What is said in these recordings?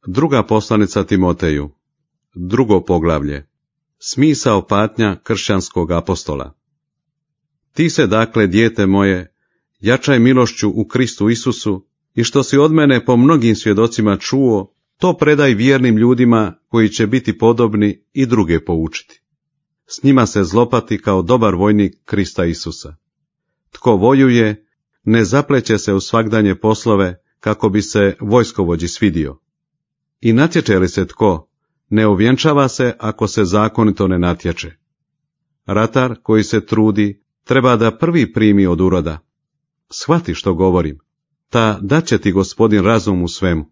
Druga poslanica Timoteju, 2. poglavlje. Smisao patnja kršćanskog apostola. Ti se dakle, dijete moje, jačaj milošću u Kristu Isusu i što si od mene po mnogim svjedocima čuo, to predaj vjernim ljudima koji će biti podobni i druge poučiti. S njima se zlopati kao dobar vojnik Krista Isusa. Tko vojuje, ne zapleće se u svagdanje poslove kako bi se vojskovođi svidio. I natječe li se tko, ne ovjenčava se ako se zakonito ne natječe. Ratar koji se trudi treba da prvi primi od uroda. Shvati što govorim, ta daće ti Gospodin razum u svemu.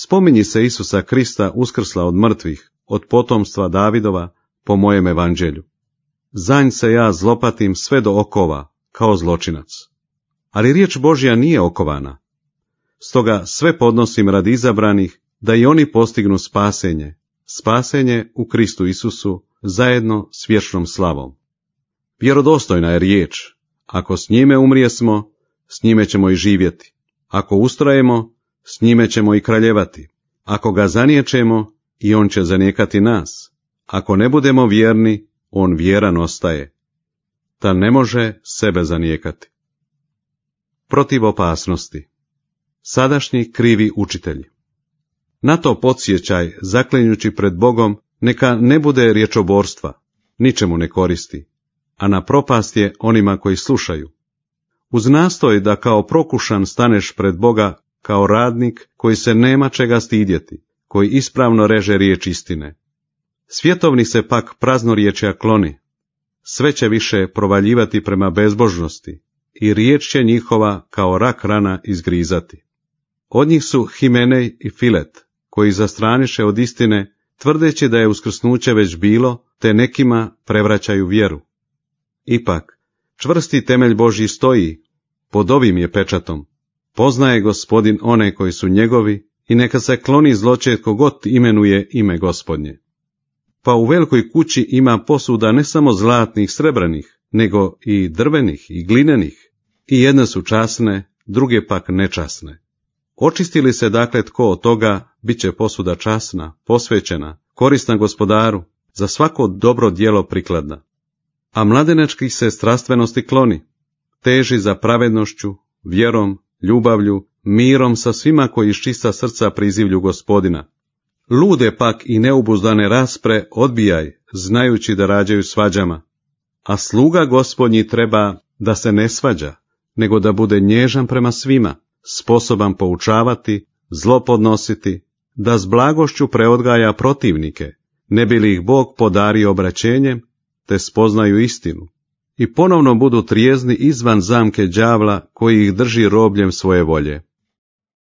Spominji se Isusa Krista uskrsla od mrtvih, od potomstva Davidova, po mojem evanđelju. Za nj se ja zlopatim sve do okova, kao zločinac. Ali riječ Božja nije okovana. Stoga sve podnosim radi izabranih, da i oni postignu spasenje u Kristu Isusu, zajedno s vječnom slavom. Vjerodostojna je riječ, ako s njime umrijesmo, s njime ćemo i živjeti. Ako ustrajemo, s njime ćemo i kraljevati. Ako ga zaniječemo, i on će zanijekati nas. Ako ne budemo vjerni, on vjeran ostaje. Ta ne može sebe zanijekati. Protiv opasnosti. Sadašnji krivi učitelji. Na to podsjećaj, zaklinjući pred Bogom, neka ne bude riječoborstva, ničemu ne koristi, a na propast je onima koji slušaju. Uz nastoj da kao prokušan staneš pred Boga, kao radnik koji se nema čega stidjeti, koji ispravno reže riječ istine. Svjetovni se pak praznorječja kloni, sve će više provaljivati prema bezbožnosti i riječ će njihova kao rak rana izgrizati. Od njih su Himenej i Filet, koji zastraniše od istine, tvrdeći da je uskrsnuće već bilo, te nekima prevraćaju vjeru. Ipak, čvrsti temelj Božji stoji, pod ovim je pečatom. Poznaje Gospodin one koji su njegovi i neka se kloni zločest kogod imenuje ime Gospodnje. Pa u velikoj kući ima posuda ne samo zlatnih, srebrnih, nego i drvenih i glinenih, i jedne su časne, druge pak nečasne. Očisti li se dakle tko od toga, bit će posuda časna, posvećena, korisna Gospodaru, za svako dobro djelo prikladna. A mladenačkih se strastvenosti kloni, teži za pravednošću, vjerom, ljubavlju, mirom sa svima koji iz čista srca prizivlju Gospodina. Lude pak i neubuzdane raspre odbijaj, znajući da rađaju svađama. A sluga Gospodnji treba da se ne svađa, nego da bude nježan prema svima, sposoban poučavati, zlo podnositi, da s blagošću preodgaja protivnike, ne bi li ih Bog podario obraćenjem, te spoznaju istinu, i ponovno budu trijezni izvan zamke đavla koji ih drži robljem svoje volje.